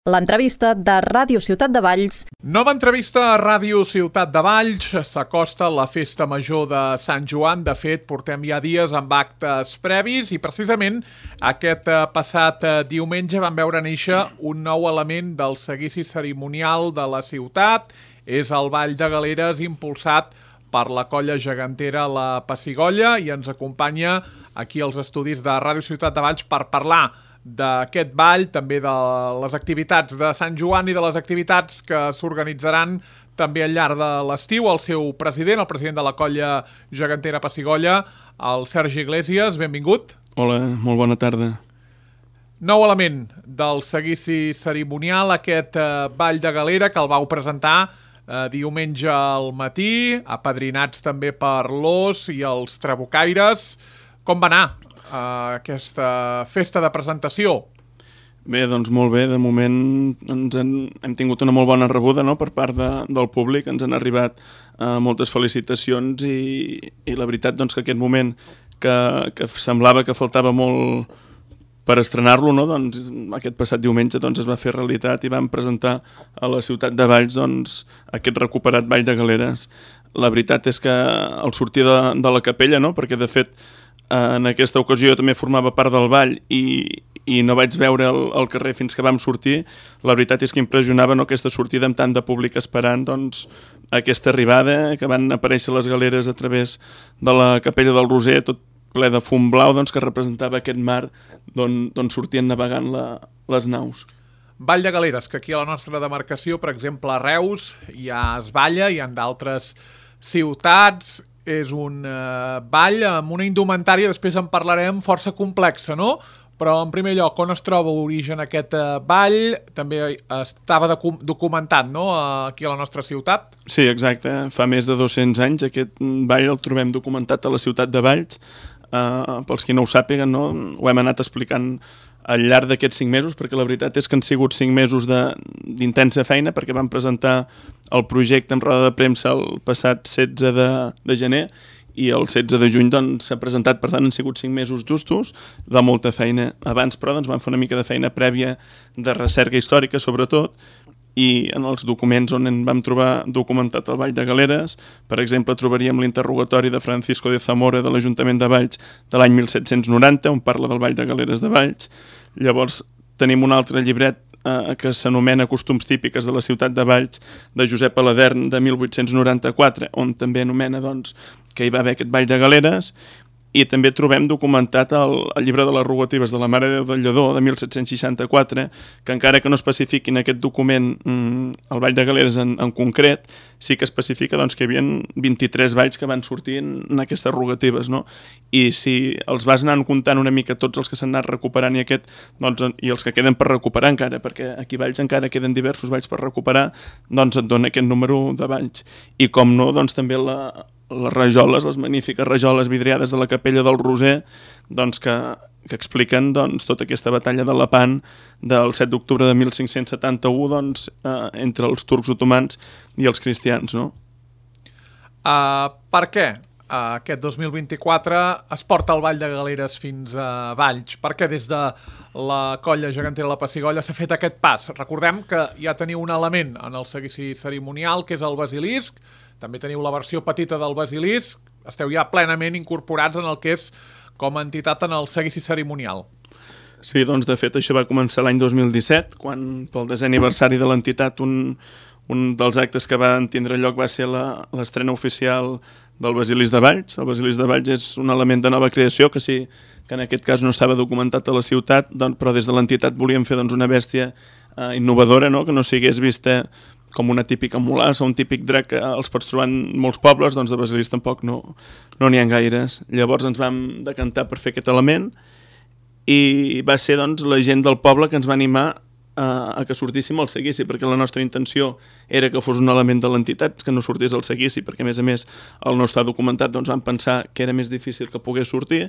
L'entrevista de Ràdio Ciutat de Valls. Nova entrevista a Ràdio Ciutat de Valls. S'acosta la festa major de Sant Joan. De fet, portem ja dies amb actes previs i precisament aquest passat diumenge vam veure néixer un nou element del seguici cerimonial de la ciutat. És el Ball de Galeres impulsat per la colla gegantera La Pessigolles i ens acompanya aquí als estudis de Ràdio Ciutat de Valls per parlar d'aquest ball, també de les activitats de Sant Joan i de les activitats que s'organitzaran també al llarg de l'estiu. El seu president, el president de la colla gegantera Pessigolles, el Sergi Iglesias, benvingut. Hola, molt bona tarda. Nou element del seguici cerimonial, aquest ball de galera que el vau presentar diumenge al matí, apadrinats també per l'Os i els Trabucaires. Com va anar aquesta festa de presentació? Bé, doncs molt bé. De moment hem tingut una molt bona rebuda, no?, per part del públic. Ens han arribat moltes felicitacions i la veritat doncs, que aquest moment que semblava que faltava molt per estrenar-lo, no? Doncs, aquest passat diumenge doncs, es va fer realitat i vam presentar a la ciutat de Valls doncs, aquest recuperat Ball de Galeres. La veritat és que al sortir de la capella, no?, perquè de fet en aquesta ocasió jo també formava part del ball i no vaig veure el carrer fins que vam sortir. La veritat és que impressionava, no?, aquesta sortida amb tant de públic esperant doncs, aquesta arribada, que van aparèixer les galeres a través de la capella del Roser, tot ple de fum blau doncs, que representava aquest mar d'on sortien navegant les naus. Ball de Galeres, que aquí a la nostra demarcació, per exemple, a Reus, ja es balla, i en d'altres ciutats. És un ball amb una indumentària, després en parlarem, força complexa, no? Però, en primer lloc, on es troba origen aquest ball? També estava documentat, no?, aquí a la nostra ciutat. Sí, exacte. Fa més de 200 anys aquest ball el trobem documentat a la ciutat de Valls. Pels qui no ho sàpiguen, no?, ho hem anat explicant al llarg d'aquests 5 mesos, perquè la veritat és que han sigut 5 mesos d'intensa feina, perquè vam presentar el projecte en roda de premsa el passat 16 de gener i el 16 de juny doncs, s'ha presentat. Per tant, han sigut 5 mesos justos de molta feina. Abans, però, doncs, vam fer una mica de feina prèvia de recerca històrica, sobretot, i en els documents on en vam trobar documentat el Ball de Galeres, per exemple, trobaríem l'interrogatori de Francisco de Zamora de l'Ajuntament de Valls de l'any 1790, on parla del Ball de Galeres de Valls. Llavors tenim un altre llibret que s'anomena Costums típiques de la ciutat de Valls, de Josep Aladern, de 1894, on també anomena doncs, que hi va haver aquest Ball de Galeres. I també trobem documentat el llibre de les rogatives de la Mare de Déu del Lledó, de 1764, que encara que no especifiqui en aquest document el Ball de Galeres en concret, sí que especifica doncs, que hi havia 23 balls que van sortir en aquestes rogatives, no? I si els vas anar comptant una mica tots els que s'han anat recuperant i els que queden per recuperar encara, perquè aquí a Valls encara queden diversos balls per recuperar, doncs et dona aquest número de balls. I com no, doncs també les rajoles, les magnífiques rajoles vidriades de la capella del Roser, doncs que expliquen doncs, tota aquesta batalla de Lepant del 7 d'octubre de 1571 doncs, entre els turcs otomans i els cristians, no? Per què aquest 2024 es porta el Ball de Galeres fins a Valls? Per què des de la colla gegantera La Pessigolles s'ha fet aquest pas? Recordem que ja teniu un element en el seguici cerimonial, que és el basilisc. També teniu la versió petita del basilisc. Esteu ja plenament incorporats en el que és com a entitat en el seguici cerimonial. Sí, doncs de fet això va començar l'any 2017, quan pel 10è aniversari de l'entitat un dels actes que van tindre lloc va ser l'estrena oficial del basilisc de Valls. El basilisc de Valls és un element de nova creació que sí que en aquest cas no estava documentat a la ciutat, doncs, però des de l'entitat volíem fer doncs, una bèstia innovadora, no?, que no sigués vista com una típica mulassa o un típic drac que els pots trobar en molts pobles, doncs de basilisc tampoc no n'hi ha gaires. Llavors ens vam decantar per fer aquest element i va ser doncs, la gent del poble que ens va animar a que sortíssim al seguici, perquè la nostra intenció era que fos un element de l'entitat, que no sortís al seguici, perquè a més el no està documentat, doncs vam pensar que era més difícil que pogués sortir,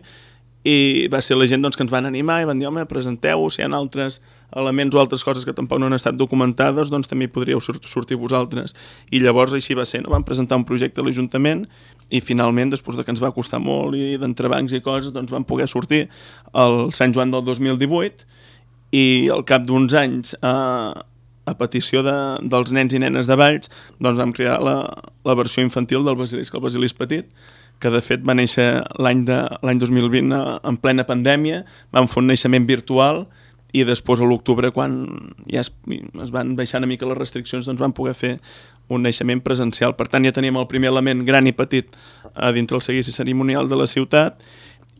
i va ser la gent doncs, que ens van animar i van dir, home, presenteu-ho, si hi ha altres elements o altres coses que tampoc no han estat documentades, doncs també hi podríeu sortir vosaltres. I llavors així va ser, no? Vam presentar un projecte a l'Ajuntament i finalment, després que ens va costar molt i d'entrebancs i coses, doncs vam poder sortir el Sant Joan del 2018 i al cap d'uns anys, a petició dels nens i nenes de Valls, doncs vam crear la versió infantil del Basilisc, el Basilisc Petit, que de fet va néixer l'any 2020 en plena pandèmia, vam fer un naixement virtual i després a l'octubre, quan ja es van baixar una mica les restriccions, doncs vam poder fer un naixement presencial. Per tant, ja teníem el primer element gran i petit a dintre el seguici cerimonial de la ciutat,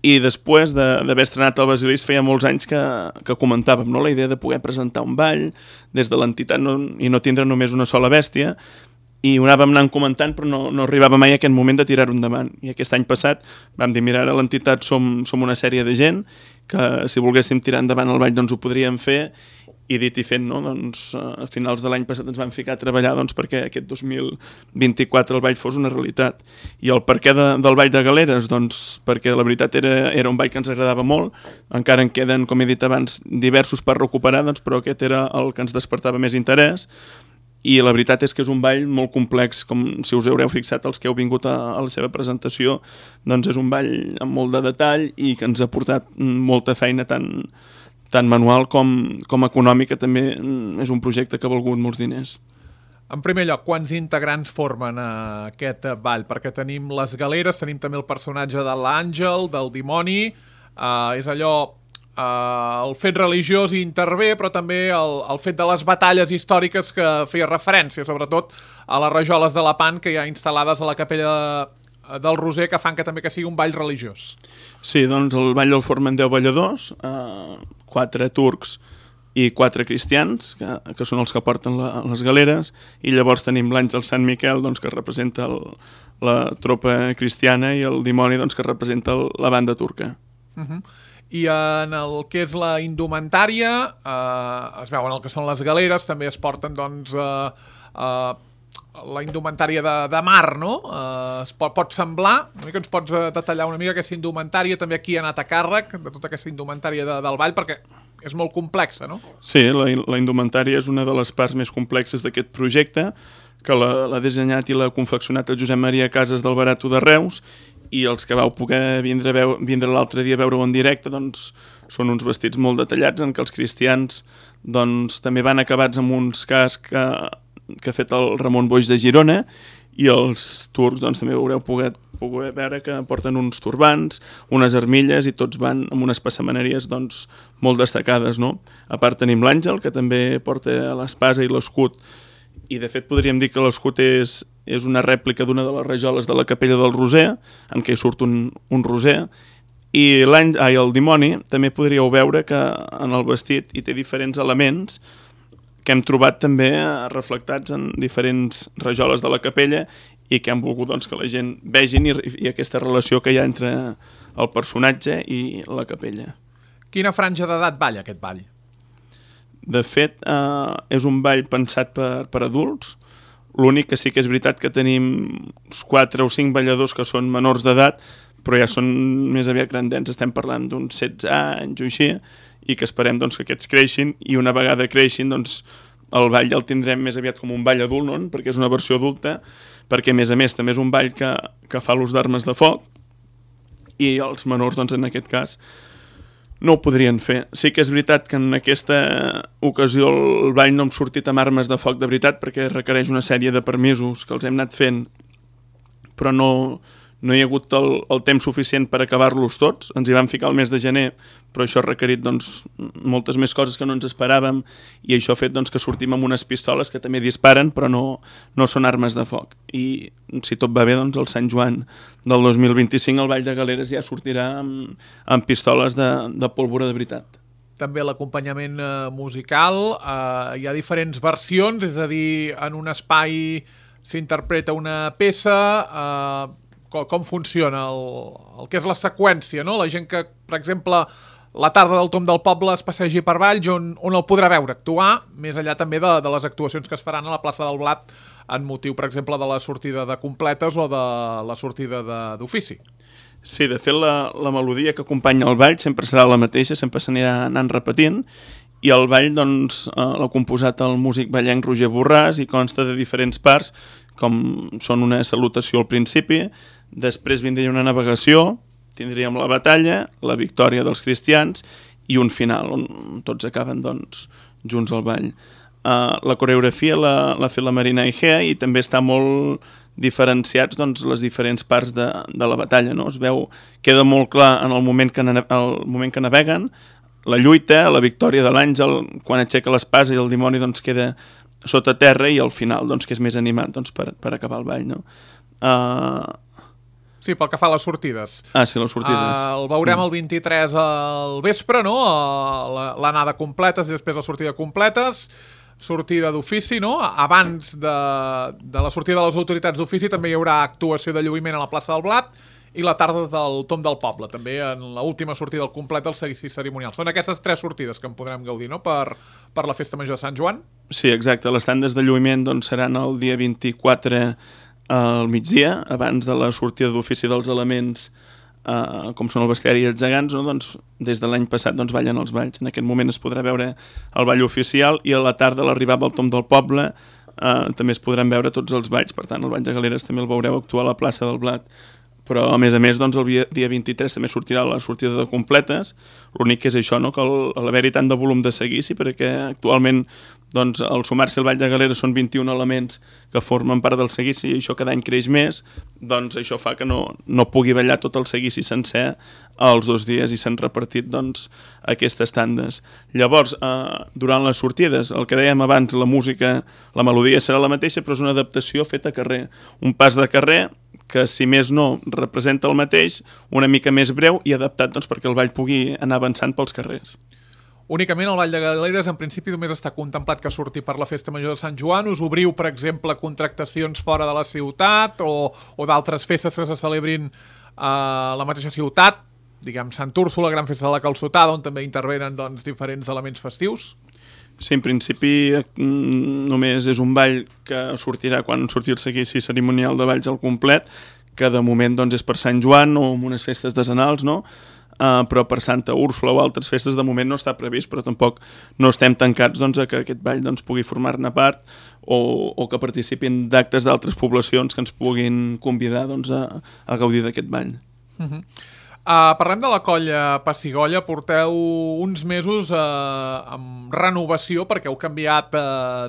i després d'haver estrenat el Basilisc feia molts anys que comentàvem, no?, la idea de poder presentar un ball des de l'entitat i no tindre només una sola bèstia, i ho anàvem anant comentant però no arribava mai a aquest moment de tirar-ho endavant. I aquest any passat vam dir, mira, ara a l'entitat som una sèrie de gent que si volguéssim tirar endavant el ball doncs ho podríem fer, i dit i fet, no? Doncs a finals de l'any passat ens vam ficar a treballar doncs, perquè aquest 2024 el ball fos una realitat. I el perquè del ball de Galeres? Doncs perquè la veritat era un ball que ens agradava molt, encara en queden, com he dit abans, diversos per recuperar, doncs, però aquest era el que ens despertava més interès. I la veritat és que és un ball molt complex, com si us haureu fixat els que heu vingut a la seva presentació, doncs és un ball amb molt de detall i que ens ha portat molta feina tant manual com econòmica. També és un projecte que ha valgut molts diners. En primer lloc, quants integrants formen aquest ball? Perquè tenim les galeres, tenim també el personatge de l'àngel, del dimoni, és allò... el fet religiós hi intervé, però també el fet de les batalles històriques que feia referència, sobretot a les rajoles de Lepant que hi ha instal·lades a la capella del Roser, que fan que també que sigui un ball religiós. Sí, doncs el ball el formen 10 balladors, 4 turcs i 4 cristians, que són els que porten les galeres, i llavors tenim l'àngel Sant Miquel, doncs, que representa la tropa cristiana, i el dimoni, doncs, que representa la banda turca. I en el que és la indumentària, es veuen el que són les galeres, també es porten doncs, la indumentària de mar, no? Pot semblar, una mica ens pots detallar una mica aquesta indumentària, també aquí ha anat a càrrec de tota aquesta indumentària del ball, perquè és molt complexa, no? Sí, la indumentària és una de les parts més complexes d'aquest projecte, que l'ha dissenyat i l'ha confeccionat el Josep Maria Casas del Barato de Reus, i els que vau poder vindre l'altre dia a veure-ho en directe, doncs són uns vestits molt detallats en què els cristians doncs també van acabats amb uns cascs que ha fet el Ramon Boix de Girona, i els turcs doncs també haureu poder veure que porten uns turbants, unes armilles, i tots van amb unes passamaneries doncs molt destacades, no? A part tenim l'àngel, que també porta l'espasa i l'escut, i de fet podríem dir que l'escut és una rèplica d'una de les rajoles de la capella del Roser, en què hi surt un roser, i el dimoni també podríeu veure que en el vestit hi té diferents elements que hem trobat també reflectats en diferents rajoles de la capella i que han volgut doncs, que la gent vegin i aquesta relació que hi ha entre el personatge i la capella. Quina franja d'edat balla aquest ball? De fet, és un ball pensat per adults. L'únic que sí que és veritat que tenim uns 4 o 5 balladors que són menors d'edat, però ja són més aviat grandets, estem parlant d'uns 16 anys o així, i que esperem doncs, que aquests creixin, i una vegada creixin, doncs, el ball el tindrem més aviat com un ball adult, no? Perquè és una versió adulta, perquè a més també és un ball que fa l'ús d'armes de foc, i els menors, doncs, en aquest cas, no ho podrien fer. Sí que és veritat que en aquesta ocasió el ball no hem sortit amb armes de foc de veritat, perquè requereix una sèrie de permisos que els hem anat fent, però no hi ha hagut el temps suficient per acabar-los tots. Ens hi vam ficar el mes de gener, però això ha requerit doncs, moltes més coses que no ens esperàvem, i això ha fet doncs, que sortim amb unes pistoles que també disparen, però no són armes de foc. I si tot va bé, doncs, el Sant Joan del 2025 el Ball de Galeres ja sortirà amb pistoles de pólvora de veritat. També l'acompanyament musical, hi ha diferents versions, és a dir, en un espai s'interpreta una peça, com funciona el que és la seqüència, no? La gent que, per exemple, la tarda del Tom del Poble es passegi per Valls, on el podrà veure actuar, més enllà també de les actuacions que es faran a la plaça del Blat en motiu, per exemple, de la sortida de completes o de la sortida d'ofici. Sí, de fet, la melodia que acompanya el ball sempre serà la mateixa, sempre s'anirà anant repetint, i el ball doncs, l'ha composat el músic ballenc Roger Borràs i consta de diferents parts, com són una salutació al principi, després vindria una navegació, tindríem la batalla, la victòria dels cristians, i un final on tots acaben doncs, junts al ball. La coreografia l'ha fet la Marina Egea i també està molt diferenciats doncs, les diferents parts de la batalla. No? Es veu, queda molt clar en el moment que naveguen, la lluita, la victòria de l'àngel, quan aixeca l'espasa i el dimoni doncs, queda sota terra, i al final, doncs, que és més animat doncs, per acabar el ball. No? Sí, pel que fa a les sortides. Sí, les sortides. El veurem el 23 al vespre, no? L'anada completes i després la sortida completes. Sortida d'ofici, no? Abans de la sortida de les autoritats d'ofici també hi haurà actuació de lluïment a la plaça del Blat i la tarda del Tom del Poble, també en l'última sortida del complet del seguici cerimonial. Són aquestes 3 sortides que en podrem gaudir, no?, per la Festa Major de Sant Joan. Sí, exacte. Les tandes de lluïment doncs, seran el dia 24 al migdia, abans de la sortida d'ofici dels elements, com són el bestiari i els gegants, no? Doncs, des de l'any passat doncs, ballen els balls. En aquest moment es podrà veure el ball oficial i a la tarda, a l'arribada al Tom del Poble, també es podran veure tots els balls. Per tant, el ball de Galeres també el veureu actuar a la plaça del Blat. Però, a més, doncs, el dia 23 també sortirà la sortida de completes. L'únic que és això, no? Que l'haver-hi tant de volum de seguici, perquè actualment doncs, al sumar-se al Ball de Galeres són 21 elements que formen part del seguici i això cada any creix més, doncs això fa que no pugui ballar tot el seguici sencer els 2 dies i s'han repartit doncs, aquestes tandes. Llavors, durant les sortides, el que dèiem abans, la música, la melodia serà la mateixa, però és una adaptació feta a carrer. Un pas de carrer que, si més no, representa el mateix, una mica més breu i adaptat doncs, perquè el ball pugui anar avançant pels carrers. Únicament el Ball de Galeres, en principi, només està contemplat que surti per la Festa Major de Sant Joan. Us obriu, per exemple, contractacions fora de la ciutat o d'altres festes que se celebrin a la mateixa ciutat, diguem Sant Úrsula, Gran Festa de la Calçotada, on també intervenen doncs, diferents elements festius? Sí, en principi només és un ball que sortirà quan surti el seguici cerimonial de balls al complet, que de moment doncs, és per Sant Joan o en unes festes decenals, no? Però per Santa Úrsula o altres festes de moment no està previst, però tampoc no estem tancats doncs, a que aquest ball doncs, pugui formar-ne part o que participin d'actes d'altres poblacions que ens puguin convidar doncs, a gaudir d'aquest ball. Parlem de la colla Pessigolles. Porteu uns mesos amb renovació perquè heu canviat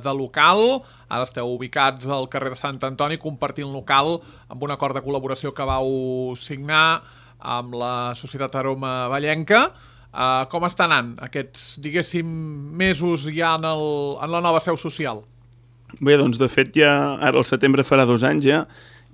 de local. Ara esteu ubicats al carrer de Sant Antoni compartint local amb un acord de col·laboració que vau signar amb la Societat Aroma Vallenca. Com està anant aquests, diguéssim, mesos ja en la nova seu social? Bé, doncs de fet ja ara al setembre farà 2 anys ja,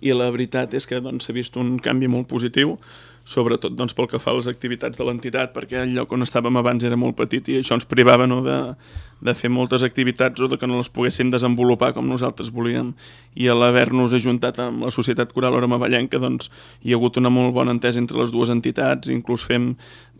i la veritat és que doncs, s'ha vist un canvi molt positiu, sobretot doncs, pel que fa a les activitats de l'entitat, perquè el lloc on estàvem abans era molt petit i això ens privava no, de fer moltes activitats o de que no les poguéssim desenvolupar com nosaltres volíem. I a l'haver-nos ajuntat amb la Societat Coral Aroma Vallenca doncs, hi ha hagut una molt bona entesa entre les dues entitats, inclús fem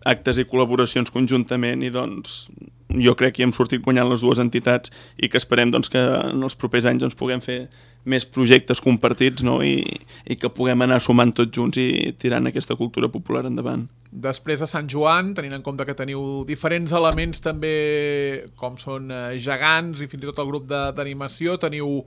actes i col·laboracions conjuntament i doncs, jo crec que hi hem sortit guanyant les dues entitats i que esperem doncs, que en els propers anys doncs, puguem fer més projectes compartits no? I que puguem anar sumant tots junts i tirant aquesta cultura popular endavant. Després de Sant Joan, tenint en compte que teniu diferents elements també com són gegants i fins i tot el grup d'animació, teniu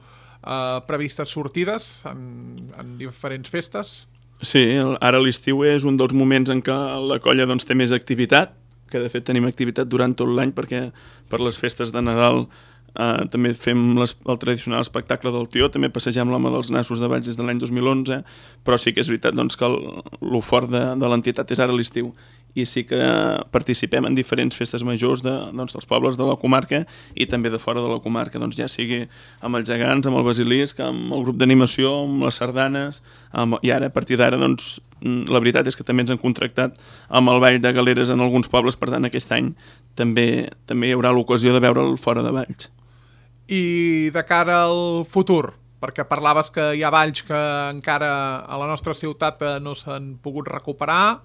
previstes sortides en diferents festes? Sí, ara l'estiu és un dels moments en què la colla doncs, té més activitat, que de fet tenim activitat durant tot l'any perquè per les festes de Nadal també fem el tradicional espectacle del Tió, també passegem l'Home dels Nassos de Valls des de l'any 2011, però sí que és veritat doncs, que el fort de l'entitat és ara l'estiu i sí que participem en diferents festes majors doncs, dels pobles de la comarca i també de fora de la comarca, doncs, ja sigui amb els gegants, amb el basilisc, amb el grup d'animació, amb les sardanes, i ara a partir d'ara doncs, la veritat és que també ens han contractat amb el Ball de Galeres en alguns pobles, per tant aquest any també hi haurà l'ocasió de veure'l fora de Valls. I de cara al futur, perquè parlaves que hi ha valls que encara a la nostra ciutat no s'han pogut recuperar,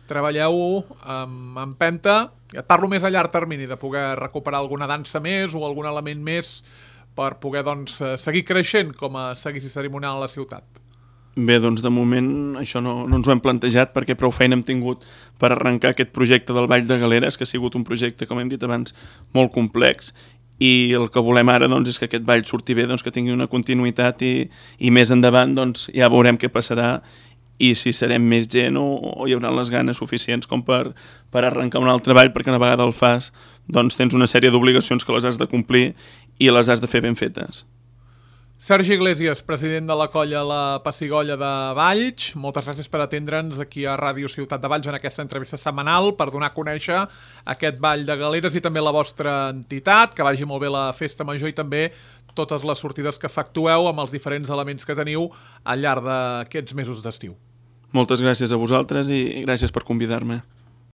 treballeu amb empenta, ja et parlo més a llarg termini, de poder recuperar alguna dansa més o algun element més per poder doncs, seguir creixent com a seguici cerimonial a la ciutat. Bé, doncs de moment això no ens ho hem plantejat perquè prou feina hem tingut per arrencar aquest projecte del Ball de Galeres, que ha sigut un projecte, com hem dit abans, molt complex, i el que volem ara doncs, és que aquest ball surti bé, doncs, que tingui una continuïtat i més endavant doncs, ja veurem què passarà i si serem més gent o hi haurà les ganes suficients com per arrencar un altre ball, perquè una vegada el fas doncs tens una sèrie d'obligacions que les has de complir i les has de fer ben fetes. Sergi Iglesias, president de la colla La Pessigolles de Valls, moltes gràcies per atendre'ns aquí a Ràdio Ciutat de Valls en aquesta entrevista setmanal per donar a conèixer aquest ball de galeres i també la vostra entitat, que vagi molt bé la festa major i també totes les sortides que efectueu amb els diferents elements que teniu al llarg d'aquests mesos d'estiu. Moltes gràcies a vosaltres i gràcies per convidar-me.